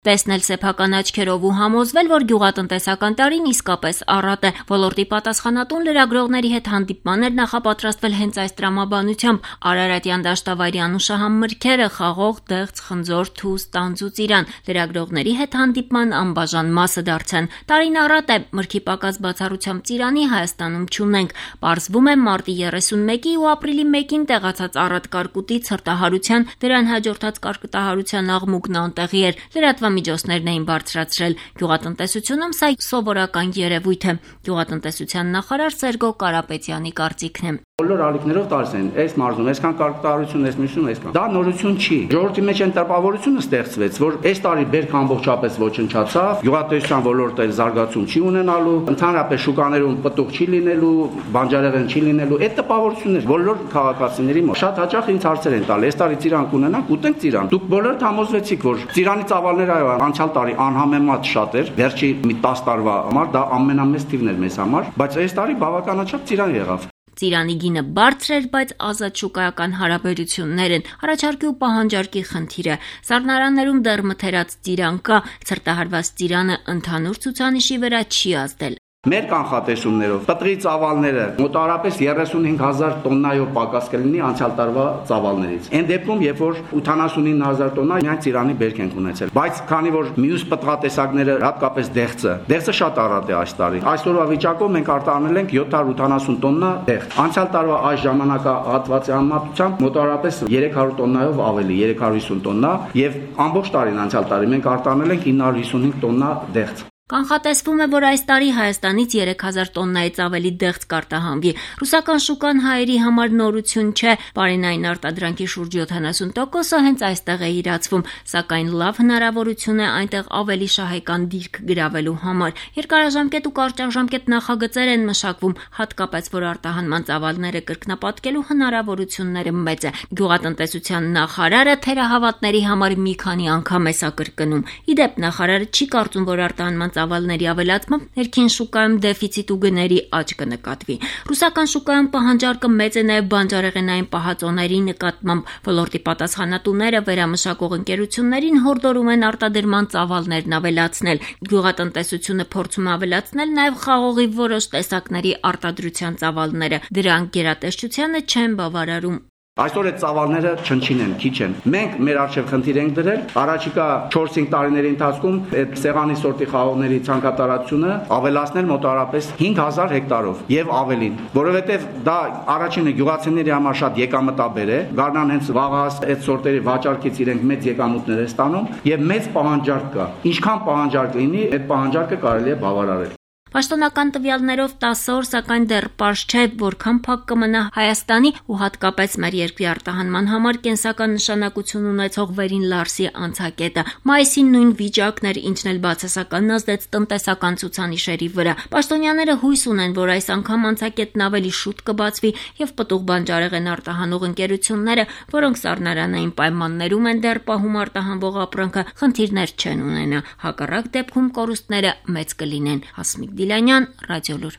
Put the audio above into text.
Տեսնել սեփական աչքերով ու համոզվել, որ գյուղատնտեսական տարին իսկապես առատ է։ Ոլորտի պատասխանատուն լրագրողների հետ հանդիպման էր նախապատրաստվել հենց այս տրամաբանությամբ։ Արարատյան դաշտավայրի անուշահամ մրգերը՝ խաղող, դեղց, խնձոր, թուզ, տանձ ու ծիրան լրագրողների հետ հանդիպման անբաժան մասը դարձան։ Տարին առատ է, մրգի պակաս բացառությամբ ծիրանի Հայաստանում չունենք։ Պարզվում է մարտի 31-ի ու ապրիլի 1-ին տեղացած առատ կարկուտի ցրտահարության, դրան հաջորդած կարկտահարության աղմուկն անտեղի էր։ Միջոցներն էին բարձրացրել։ Գյուղատնտեսությունում սա սովորական երևույթ է։ Գյուղատնտեսության նախարար Սերգո Կարապետյանի կարծիքն է։ Բոլոր ալիքներով տալիս են, այս մարզում, այսքան կարկտահարություն, այս մյուսում, այսքան։ Դա նորություն չի։ Ժողովրդի մեջ այն տպավորությունը ստեղծվեց, որ այս տարի բերքը ամբողջապես ոչնչացավ, գյուղատնտեսության ոլորտը զարգացում չի ունենալու, ընդհանրապես շուկաներում պտուղ չի լինելու, բանջարեղեն չի լինելու։ Այդ տպավորությունն է բոլոր քաղաքացիների մոտ։ Շատ հաճախ ինձ հարցեր են տալի, այս տարի ծիրան կունենանք, ուտենք ծիրան։ Դուք բոլորդ համոզվեցիք, որ ծիրանի ծավալները անցյալ տարի անհամեմատ շատ էր, վերջի մի 10 տարվա համար դա ամենամեծ թիվն էր մեզ համար, բայց այս տարի բավականաչափ ծիրան եղավ։ Ծիրանի գինը բարձր էր, բայց ազատ շուկայական հարաբերություններ են, առաջարկի ու պահանջարկի խնդիր է։ Սառնարաններում դեռ մթերած ծիրան կա, ցրտահարված ծիրանը ընդհանուր ցուցանիշի վրա չի ազդել։ Մեր կանխատեսումներով պտղի ծավալները մոտավորապես 35,000 տոննայով պակաս կլինի անցյալ տարվա ծավալներից։ Այն դեպքում, երբ որ 89,000 տոննա միայն ծիրանի բերք ենք ունեցել։ Բայց քանի որ մյուս պտղատեսակները, հատկապես դեղցը շատ առատ է այս տարի։ Այսօրվա վիճակով մենք արտահանել ենք 780 տոննա դեղց։ Անցյալ տարվա այս ժամանակահատվածի համեմատությամբ մոտավորապես 300 տոննայով ավելի, 350 տոննա, եւ ամբողջ տարին անցյալ տարի մենք արտահանել ենք 955 տոննա դեղց։ Կանխատեսվում է, որ այս տարի Հայաստանից 3000 տոննայից ավելի դեղց կարտահանվի։ Ռուսական շուկան հայերի համար նորություն չէ, պարենային արտադրանքի շուրջ 70%-ը հենց այստեղ է իրացվում, սակայն լավ հնարավորություն է այնտեղ ավելի շահեկան դիրք գրավելու համար։ Երկարաժամկետ ու կարճաժամկետ նախագծեր են մշակվում, հատկապես որ արտահանման ծավալները կրկնապատկելու հնարավորությունները մեծ է։ Գյուղատնտեսության նախարարը թերահավատների համար մի քանի անգամ է սա կրկնում։ Իդեպ նախարարը չի կարծում, որ արտահանման ծավալների ավելացմամբ ներքին շուկայում դեֆիցիտ ու գների աճ կնկատվի։ Ռուսական շուկայում պահանջարկը մեծ է նաև բանջարեղենային պահածոների նկատմամբ։ Ոլորտի պատասխանատուները վերամշակող ընկերություններին հորդորում են արտադրման ծավալներն ավելացնել։ Գյուղատնտեսությունը փորձում է ավելացնել նաև խաղողի որոշ տեսակների արտադրության ծավալները։ Դրանք գերատեսչությանը չեն բավարարում։ Այսօր այդ ծավալները չնչին են, քիչ են։ Մենք մեր առջև խնդիր ենք դրել, առաջիկա 4-5 տարիների ընթացքում այդ սեղանի սորտի խաղողների ցանկատարությունը ավելացնել մոտավորապես 5000 հեկտարով եւ ավելին, որովհետեւ դա առաջինը գյուղացիների համար շատ եկամտաբեր է, գարնան հենց վաղահաս այդ սորտերի վաճառքից իրենք մեծ եկամուտներ է ստանում եւ մեծ պահանջարկ կա։ Ինչքան պահանջարկ լինի, այդ պահանջարկը կարելի է բավարարել։ Պաշտոնական տվյալներով 10 օր, սակայն դեռ պարզ չէ, որքան փակ կմնա Հայաստանի ու հատկապես մեր երկրի արտահանման համար կենսական նշանակություն ունեցող Վերին Լարսի անցակետը։ Մայիսին նույն վիճակն էր, ինչն էլ բացասական ազդեց տնտեսական ցուցանիշերի վրա։ Պաշտոնյաները հույս ունեն, որ այս անգամ անցակետն ավելի շուտ կբացվի եւ պտուղ բանջարեղեն արտահանող ընկերությունները, որոնք սառնարանային պայմաններում են դեռ պահում արտահանվող ապրանքը, խնդիրներ չեն ունենա։ Հակառակ դեպքում կորուստները մեծ կլինեն։ Հասմիկ Դիլանյան, Ռադիոլուր։